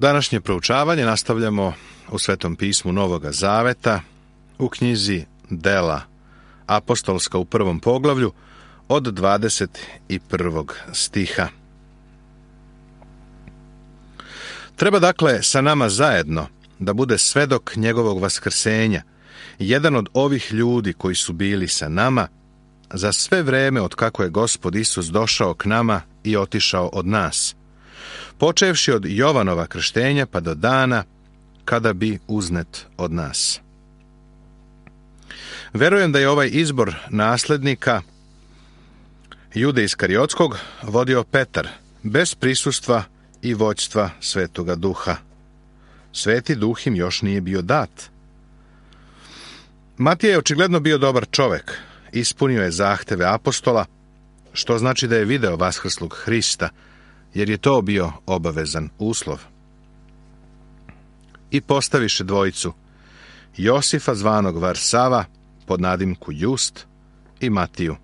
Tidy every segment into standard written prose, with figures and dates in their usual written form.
Današnje proučavanje nastavljamo u Svetom pismu Novoga Zaveta, u knjizi Dela apostolska u 1. poglavlju od 21. stiha. Treba dakle sa nama zajedno da bude svedok njegovog vaskrsenja, jedan od ovih ljudi koji su bili sa nama za sve vreme od kako je Gospod Isus došao k nama i otišao od nas, počevši od Jovanova krštenja pa do dana kada bi uznet od nas. Verujem da je ovaj izbor naslednika Jude Iskariotskog vodio Petar, bez prisustva i vođstva Svetoga Duha. Sveti Duh im još nije bio dat. Matija je očigledno bio dobar čovek, ispunio je zahteve apostola, što znači da je video vaskrslog Hrista, jer je to bio obavezan uslov. I postaviše dvojicu, Josifa zvanog Varsava, pod nadimku Just, i Matiju.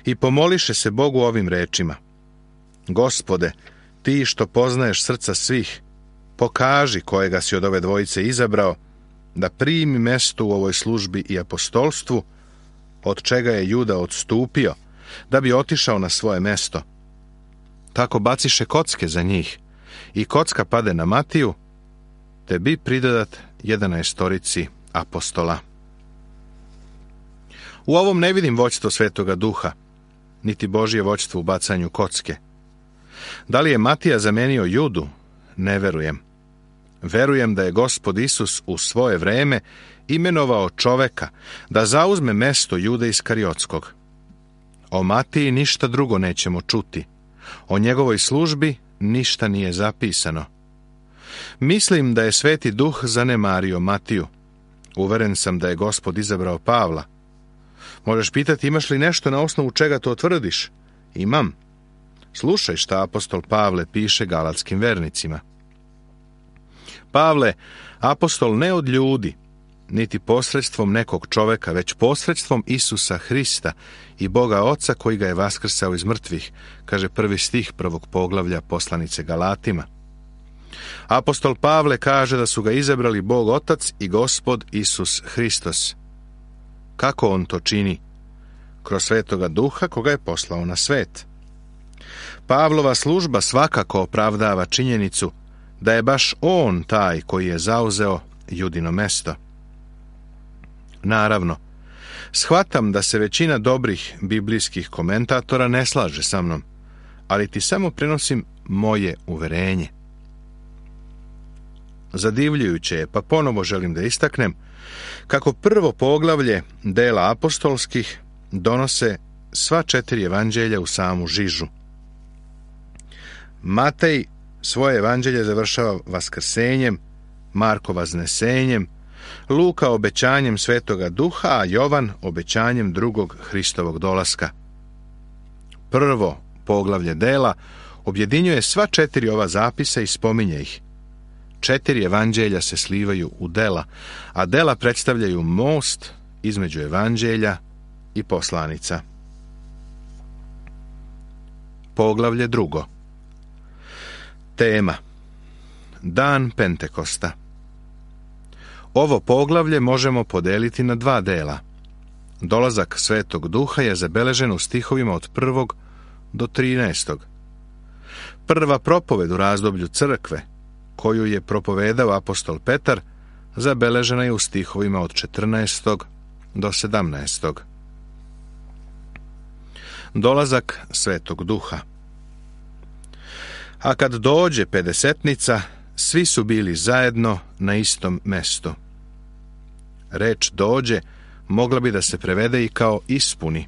I pomoliše se Bogu ovim rečima: Gospode, ti što poznaješ srca svih, pokaži kojega si od ove dvojice izabrao, da primi mesto u ovoj službi i apostolstvu, od čega je Juda odstupio, da bi otišao na svoje mesto. Tako baciše kocke za njih, i kocka pade na Matiju, te bi pridodat 11 apostola. U ovom ne vidim vođstvo Svetoga Duha, niti Božje vođstvo u bacanju kocke. Da li je Matija zamenio Judu? Ne verujem. Verujem da je Gospod Isus u svoje vreme imenovao čoveka da zauzme mesto Jude Iskariotskog. O Matiji ništa drugo nećemo čuti. O njegovoj službi ništa nije zapisano. Mislim da je Sveti Duh zanemario Matiju. Uveren sam da je Gospod izabrao Pavla. Možeš pitati, imaš li nešto na osnovu čega to tvrdiš? Imam. Slušaj šta apostol Pavle piše galatskim vernicima. Pavle, apostol ne od ljudi, niti posredstvom nekog čoveka, već posredstvom Isusa Hrista i Boga Oca koji ga je vaskrsao iz mrtvih, kaže 1. stih 1. poglavlja poslanice Galatima. Apostol Pavle kaže da su ga izabrali Bog Otac i Gospod Isus Hristos. Kako on to čini? Kroz Svetoga Duha koga je poslao na svet. Pavlova služba svakako opravdava činjenicu da je baš on taj koji je zauzeo Judino mesto. Naravno, shvatam da se većina dobrih biblijskih komentatora ne slaže sa mnom, ali ti samo prenosim moje uverenje. Zadivljujuće je, pa ponovo želim da istaknem, kako prvo poglavlje dela apostolskih donose sva 4 evanđelja u samu žižu. Matej svoje evanđelje završava vaskrsenjem, Marko vaznesenjem, Luka obećanjem Svetoga Duha, a Jovan obećanjem drugog Hristovog dolaska. Prvo poglavlje dela objedinjuje sva 4 ova zapisa i spominje ih. 4 evanđelja se slivaju u dela, a dela predstavljaju most između evanđelja i poslanica. Poglavlje 2. Tema: Dan Pentekosta. Ovo poglavlje možemo podeliti na 2 dela. Dolazak Svetog Duha je zabeležen u stihovima od 1. do 13. Prva propoved u razdoblju crkve, koju je propovedao apostol Petar, zabeležena je u stihovima od 14. do 17. Dolazak Svetog Duha. A kad dođe pedesetnica, svi su bili zajedno na istom mestu. Reč dođe mogla bi da se prevede i kao ispuni.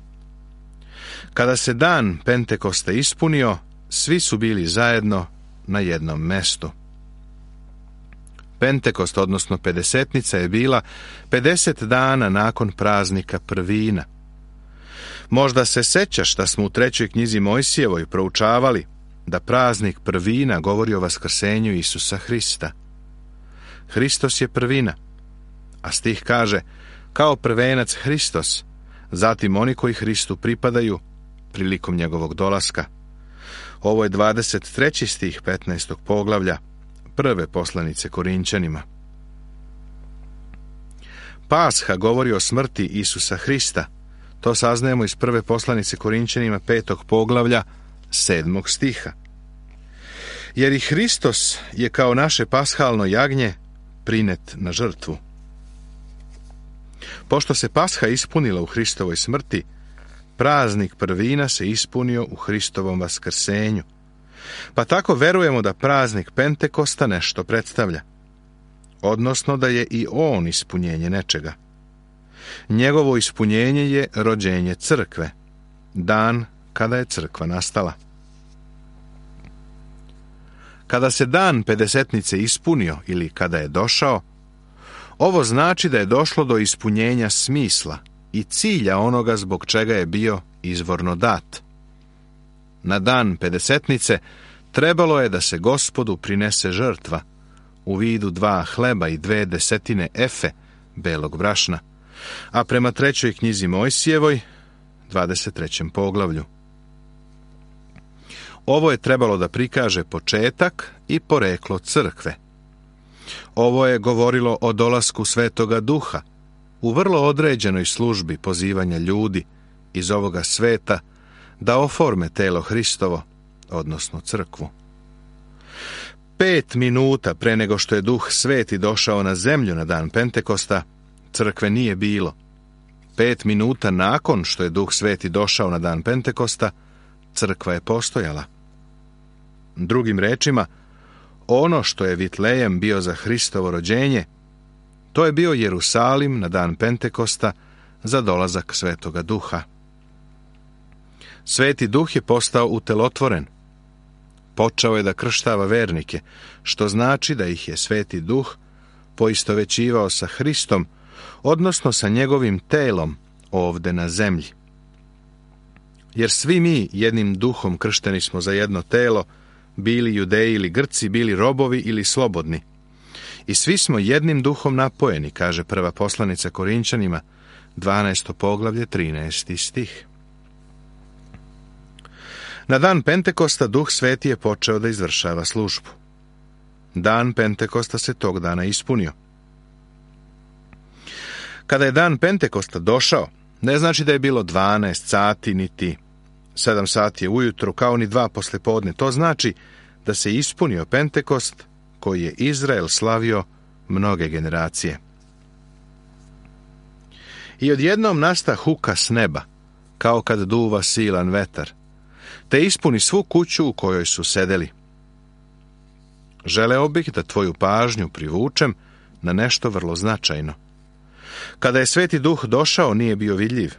Kada se dan Pentekosta ispunio, svi su bili zajedno na jednom mestu. Pentekost, odnosno pedesetnica, je bila 50 dana nakon praznika prvina. Možda se sećaš da smo u 3. knjizi Mojsijevoj proučavali da praznik prvina govori o vaskrsenju Isusa Hrista. Hristos je prvina, a stih kaže: kao prvenac Hristos, zatim oni koji Hristu pripadaju prilikom njegovog dolaska. Ovo je 23. stih 15. poglavlja prve poslanice Korinćanima. Pasha govori o smrti Isusa Hrista. To saznajemo iz prve poslanice Korinćanima 5. poglavlja 7. stiha. Jer i Hristos je kao naše pashalno jagnje prinet na žrtvu. Pošto se Pasha ispunila u Hristovoj smrti, praznik prvina se ispunio u Hristovom vaskrsenju. Pa tako verujemo da praznik Pentekosta nešto predstavlja, odnosno da je i on ispunjenje nečega. Njegovo ispunjenje je rođenje crkve, dan kada je crkva nastala. Kada se dan Pedesetnice ispunio ili kada je došao, ovo znači da je došlo do ispunjenja smisla i cilja onoga zbog čega je bio izvorno dat. Na dan Pedesetnice trebalo je da se Gospodu prinese žrtva u vidu 2 hleba i 2 desetine efe belog brašna, a prema 3. knjizi Mojsijevoj, 23. poglavlju. Ovo je trebalo da prikaže početak i poreklo crkve. Ovo je govorilo o dolasku Svetoga Duha u vrlo određenoj službi pozivanja ljudi iz ovoga sveta da oforme telo Hristovo, odnosno crkvu. 5 minuta pre nego što je Duh Sveti došao na zemlju na dan Pentekosta, crkve nije bilo. 5 minuta nakon što je Duh Sveti došao na dan Pentekosta, crkva je postojala. Drugim rečima, ono što je Vitlejem bio za Hristovo rođenje, to je bio Jerusalim na dan Pentekosta za dolazak Svetoga Duha. Sveti Duh je postao utelotvoren. Počeo je da krštava vernike, što znači da ih je Sveti Duh poistovećivao sa Hristom, odnosno sa njegovim telom ovde na zemlji. Jer svi mi jednim duhom kršteni smo za jedno telo, bili Judeji ili Grci, bili robovi ili slobodni. I svi smo jednim duhom napojeni, kaže prva poslanica Korinćanima, 12. poglavlje, 13. stih. Na dan Pentekosta Duh Sveti je počeo da izvršava službu. Dan Pentekosta se tog dana ispunio. Kada je dan Pentekosta došao, ne znači da je bilo 12 sati, niti 7 sati ujutru, kao ni 2 poslepodne. To znači da se ispunio Pentekost koji je Izrael slavio mnoge generacije. I odjednom nasta huka s neba, kao kad duva silan vetar, te ispuni svu kuću u kojoj su sedeli. Želeo bih da tvoju pažnju privučem na nešto vrlo značajno. Kada je Sveti Duh došao, nije bio vidljiv.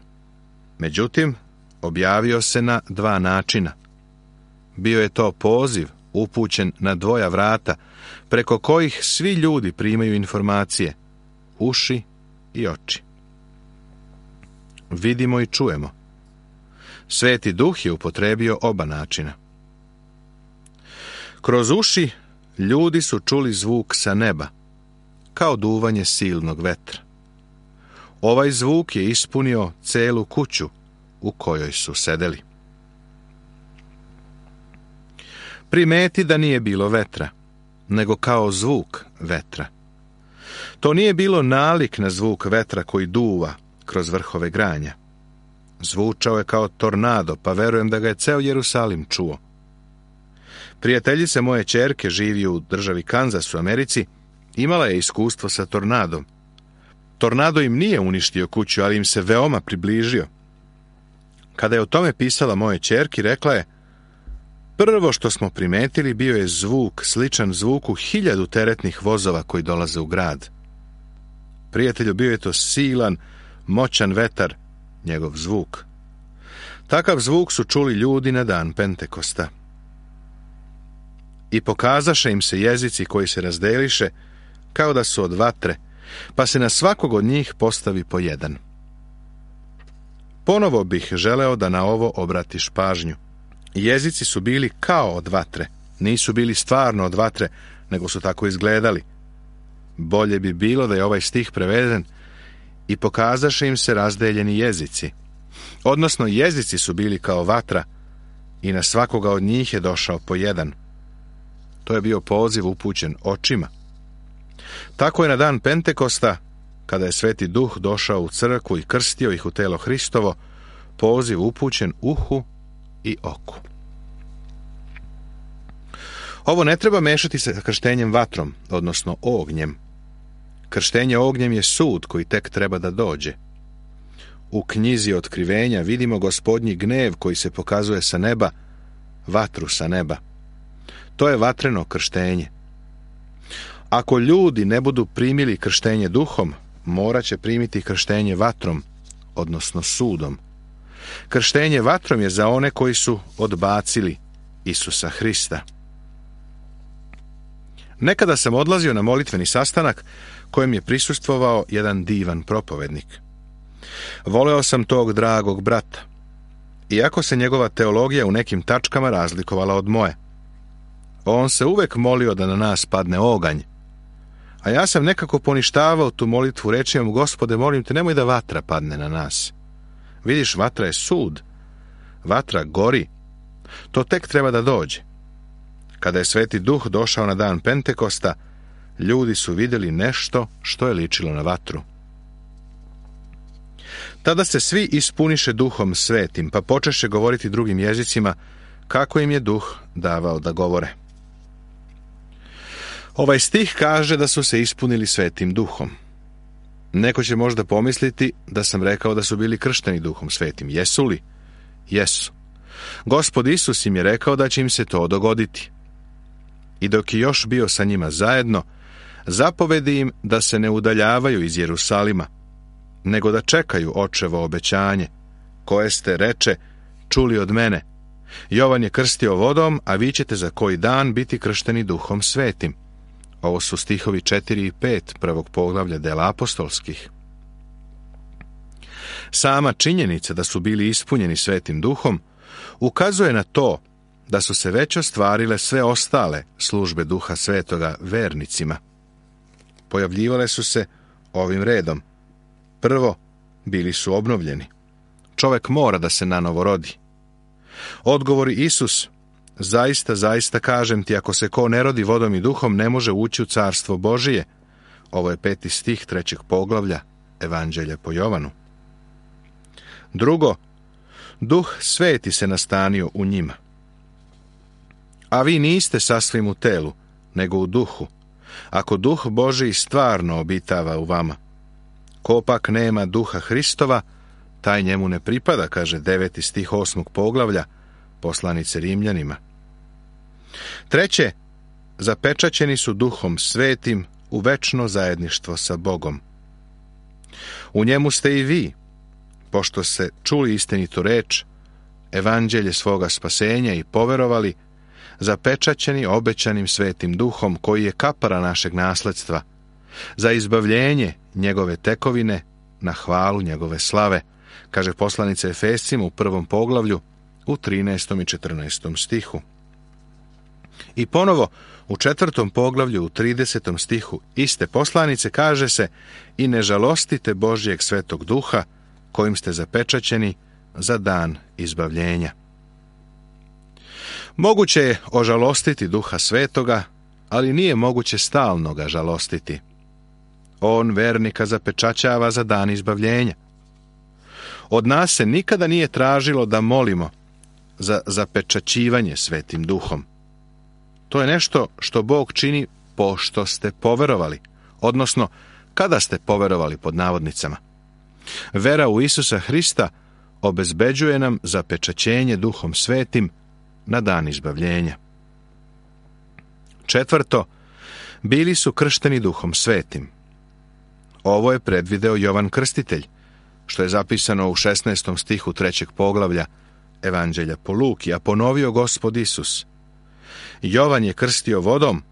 Međutim, objavio se na 2 načina. Bio je to poziv upućen na 2 vrata, preko kojih svi ljudi primaju informacije, uši i oči. Vidimo i čujemo. Sveti Duh je upotrebio oba načina. Kroz uši ljudi su čuli zvuk sa neba, kao duvanje silnog vetra. Ovaj zvuk je ispunio celu kuću u kojoj su sedeli. Primeti da nije bilo vetra, nego kao zvuk vetra. To nije bilo nalik na zvuk vetra koji duva kroz vrhove granja. Zvučao je kao tornado, pa verujem da ga je ceo Jerusalim čuo. Prijateljica moje ćerke živi u državi Kanzas u Americi, imala je iskustvo sa tornadom. Tornado im nije uništio kuću, ali im se veoma približio. Kada je o tome pisala moje ćerki, rekla je: prvo što smo primetili bio je zvuk sličan zvuku 1000 teretnih vozova koji dolaze u grad. Prijatelju, bio je to silan, moćan vetar, njegov zvuk. Takav zvuk su čuli ljudi na dan Pentekosta. I pokazaše im se jezici koji se razdeliše kao da su od vatre, pa se na svakog od njih postavi po jedan. Ponovo bih želeo da na ovo obratiš pažnju. Jezici su bili kao od vatre, nisu bili stvarno od vatre, nego su tako izgledali. Bolje bi bilo da je ovaj stih preveden: i pokazaše im se razdeljeni jezici. Odnosno, jezici su bili kao vatra i na svakoga od njih je došao po jedan. To je bio poziv upućen očima. Tako je na dan Pentekosta, kada je Sveti Duh došao u crkvu i krstio ih u telo Hristovo, poziv upućen uhu i oku. Ovo ne treba mešati sa krštenjem vatrom, odnosno ognjem. Krštenje ognjem je sud koji tek treba da dođe. U knjizi Otkrivenja vidimo Gospodnji gnev koji se pokazuje sa neba, vatru sa neba. To je vatreno krštenje. Ako ljudi ne budu primili krštenje duhom, morat će primiti krštenje vatrom, odnosno sudom. Krštenje vatrom je za one koji su odbacili Isusa Hrista. Nekada sam odlazio na molitveni sastanak kojem je prisustvovao jedan divan propovednik. Voleo sam tog dragog brata, iako se njegova teologija u nekim tačkama razlikovala od moje. On se uvek molio da na nas padne oganj, a ja sam nekako poništavao tu molitvu rečima: Gospode, molim te, nemoj da vatra padne na nas. Vidiš, vatra je sud, vatra gori, to tek treba da dođe. Kada je Sveti Duh došao na dan Pentekosta, ljudi su vidjeli nešto što je ličilo na vatru. Tada se svi ispuniše Duhom Svetim, pa počeše govoriti drugim jezicima, kako im je Duh davao da govore. Ovaj stih kaže da su se ispunili Svetim Duhom. Neko će možda pomisliti da sam rekao da su bili kršteni Duhom Svetim. Jesu li? Jesu. Gospod Isus im je rekao da će im se to dogoditi. I dok je još bio sa njima zajedno, zapovedi im da se ne udaljavaju iz Jerusalima, nego da čekaju Očevo obećanje, koje ste, reče, čuli od mene. Jovan je krstio vodom, a vi ćete za koji dan biti kršteni Duhom Svetim. Ovo su stihovi 4 i 5 prvog poglavlja Dela apostolskih. Sama činjenica da su bili ispunjeni Svetim Duhom ukazuje na to da su se već ostvarile sve ostale službe Duha Svetoga vernicima. Pojavljivale su se ovim redom. Prvo, bili su obnovljeni. Čovek mora da se nanovo rodi. Odgovori Isus: zaista, zaista kažem ti, ako se ko ne rodi vodom i duhom, ne može ući u carstvo Božije. Ovo je 5. stih 3. poglavlja Evanđelja po Jovanu. Drugo, Duh Sveti se nastanio u njima. A vi niste sasvim u telu, nego u duhu, ako Duh Božiji stvarno obitava u vama. Ko pak nema Duha Hristova, taj njemu ne pripada, kaže 9. stih 8. poglavlja poslanice Rimljanima. Treće, zapečaćeni su Duhom Svetim u večno zajedništvo sa Bogom. U njemu ste i vi, pošto ste čuli istinitu reč, evanđelje svoga spasenja i poverovali, zapečaćeni obećanim Svetim Duhom, koji je kapara našeg nasledstva, za izbavljenje njegove tekovine na hvalu njegove slave, kaže poslanica Efescima u 1. poglavlju u 13. i 14. stihu. I ponovo u 4. poglavlju u 30. stihu iste poslanice kaže se: i ne žalostite Božjeg Svetog Duha, kojim ste zapečaćeni za dan izbavljenja. Moguće je ožalostiti Duha Svetoga, ali nije moguće stalno ga žalostiti. On vernika zapečaćava za dan izbavljenja. Od nas se nikada nije tražilo da molimo za zapečaćivanje Svetim Duhom. To je nešto što Bog čini pošto ste poverovali, odnosno kada ste poverovali pod navodnicama. Vera u Isusa Hrista obezbeđuje nam zapečaćenje Duhom Svetim na dan izbavljenja. Četvrto, bili su kršteni Duhom Svetim. Ovo je predvideo Jovan Krstitelj, što je zapisano u 16. stihu 3. poglavlja Evanđelja po Luki, a ponovio Gospod Isus: Jovan je krstio vodom,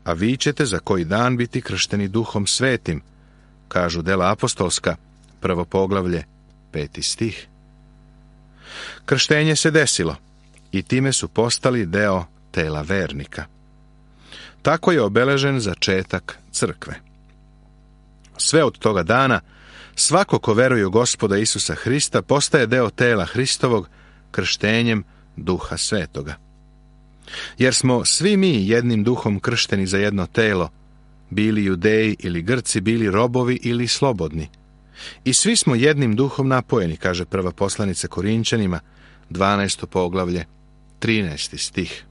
a vi ćete za koji dan biti kršteni Duhom Svetim, kažu Dela apostolska, 1. poglavlje, 5. stih. Krštenje se desilo i time su postali deo tela vernika. Tako je obeležen začetak crkve. Sve od toga dana, svako ko veruje u Gospoda Isusa Hrista postaje deo tela Hristovog krštenjem Duha Svetoga. Jer smo svi mi jednim duhom kršteni za jedno telo, bili Judeji ili Grci, bili robovi ili slobodni. I svi smo jednim duhom napojeni, kaže prva poslanica Korinćanima, 12. poglavlje, 13. stih.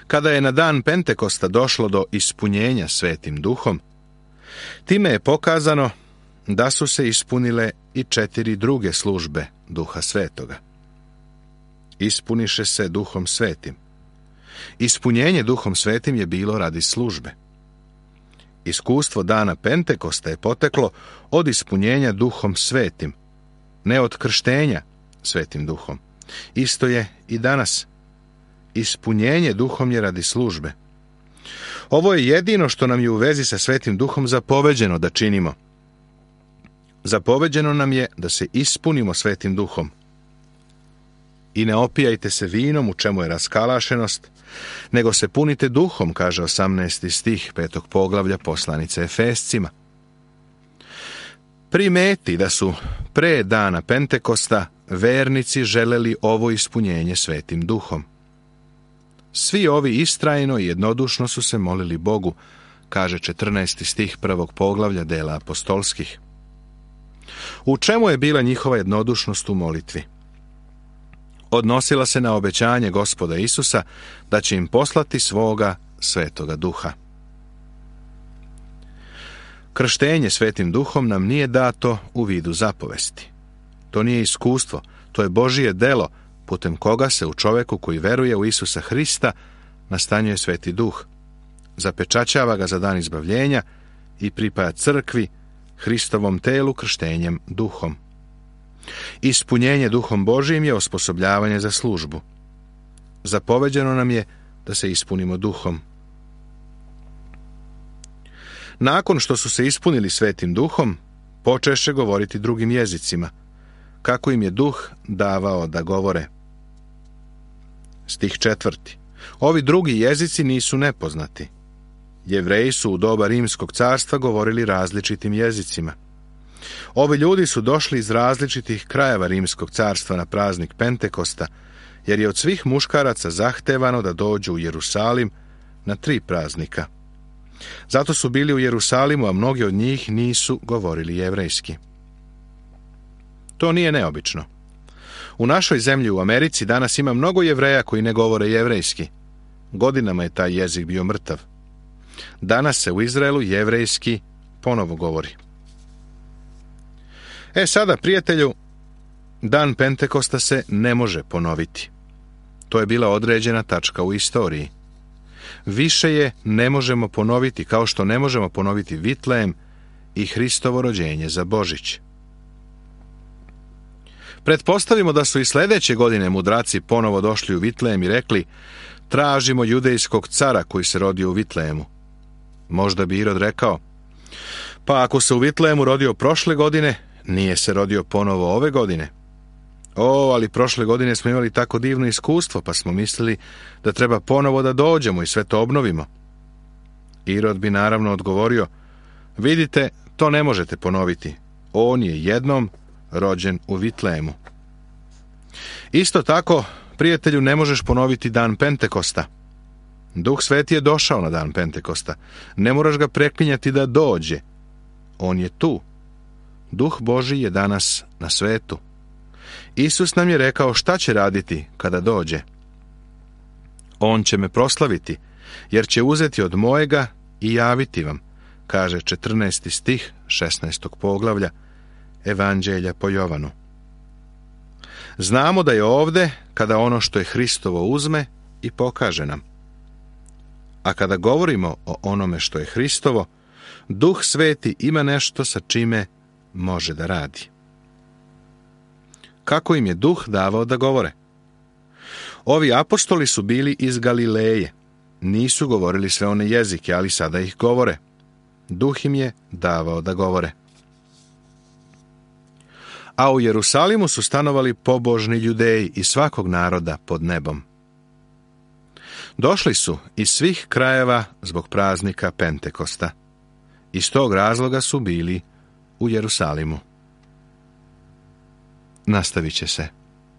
Kada je na dan Pentekosta došlo do ispunjenja Svetim duhom, time je pokazano da su se ispunile i 4 druge službe Duha Svetoga. Ispuniše se Duhom Svetim. Ispunjenje Duhom Svetim je bilo radi službe. Iskustvo dana Pentekosta je poteklo od ispunjenja Duhom Svetim, ne od krštenja Svetim Duhom. Isto je i danas. Ispunjenje Duhom je radi službe. Ovo je jedino što nam je u vezi sa Svetim Duhom zapoveđeno da činimo. Zapoveđeno nam je da se ispunimo Svetim Duhom. I ne opijajte se vinom u čemu je raskalašenost, nego se punite duhom, kaže 18. stih 5. poglavlja poslanice Efescima. Primeti da su pre dana Pentekosta vernici želeli ovo ispunjenje Svetim Duhom. Svi ovi istrajno i jednodušno su se molili Bogu, kaže 14. stih 1. poglavlja dela apostolskih. U čemu je bila njihova jednodušnost u molitvi? Odnosila se na obećanje Gospoda Isusa da će im poslati svoga Svetoga Duha. Krštenje Svetim Duhom nam nije dato u vidu zapovesti. To nije iskustvo, to je Božije delo, putem koga se u čoveku koji veruje u Isusa Hrista nastanjuje Sveti Duh, zapečaćava ga za dan izbavljenja i pripaja crkvi, Hristovom telu krštenjem Duhom. Ispunjenje Duhom Božijim je osposobljavanje za službu. Zapoveđeno nam je da se ispunimo Duhom. Nakon što su se ispunili Svetim Duhom, počeše govoriti drugim jezicima, kako im je Duh davao da govore. Stih 4. Ovi drugi jezici nisu nepoznati. Jevreji su u doba Rimskog carstva govorili različitim jezicima. Ovi ljudi su došli iz različitih krajeva Rimskog carstva na praznik Pentekosta, jer je od svih muškaraca zahtevano da dođu u Jerusalim na 3 praznika. Zato su bili u Jerusalimu, a mnogi od njih nisu govorili jevrejski. To nije neobično. U našoj zemlji u Americi danas ima mnogo Jevreja koji ne govore jevrejski. Godinama je taj jezik bio mrtav. Danas se u Izraelu jevrejski ponovo govori. Sada, prijatelju, dan Pentekosta se ne može ponoviti. To je bila određena tačka u istoriji. Više je ne možemo ponoviti, kao što ne možemo ponoviti Vitlejem i Hristovo rođenje za Božić. Pretpostavimo da su i sljedeće godine mudraci ponovo došli u Vitlejem i rekli: tražimo judejskog cara koji se rodio u Vitlejemu. Možda bi Irod rekao: pa ako se u Vitlejemu rodio prošle godine, nije se rodio ponovo ove godine. Ali prošle godine smo imali tako divno iskustvo, pa smo mislili da treba ponovo da dođemo i sve to obnovimo. Irod bi naravno odgovorio: vidite, to ne možete ponoviti. On je jednom rođen u Vitlejemu. Isto tako, prijatelju, ne možeš ponoviti dan Pentekosta. Duh Sveti je došao na dan Pentekosta. Ne moraš ga preklinjati da dođe. On je tu. Duh Božji je danas na svetu. Isus nam je rekao šta će raditi kada dođe. On će me proslaviti, jer će uzeti od mojega i javiti vam, kaže 14. stih 16. poglavlja Evanđelja po Jovanu. Znamo da je ovde kada ono što je Hristovo uzme i pokaže nam. A kada govorimo o onome što je Hristovo, Duh Sveti ima nešto sa čime može da radi. Kako im je Duh davao da govore? Ovi apostoli su bili iz Galileje. Nisu govorili sve one jezike, ali sada ih govore. Duh im je davao da govore. A u Jerusalimu su stanovali pobožni Judeji iz svakog naroda pod nebom. Došli su iz svih krajeva zbog praznika Pentekosta. Iz tog razloga su bili u Jerusalimu. Nastavit će se.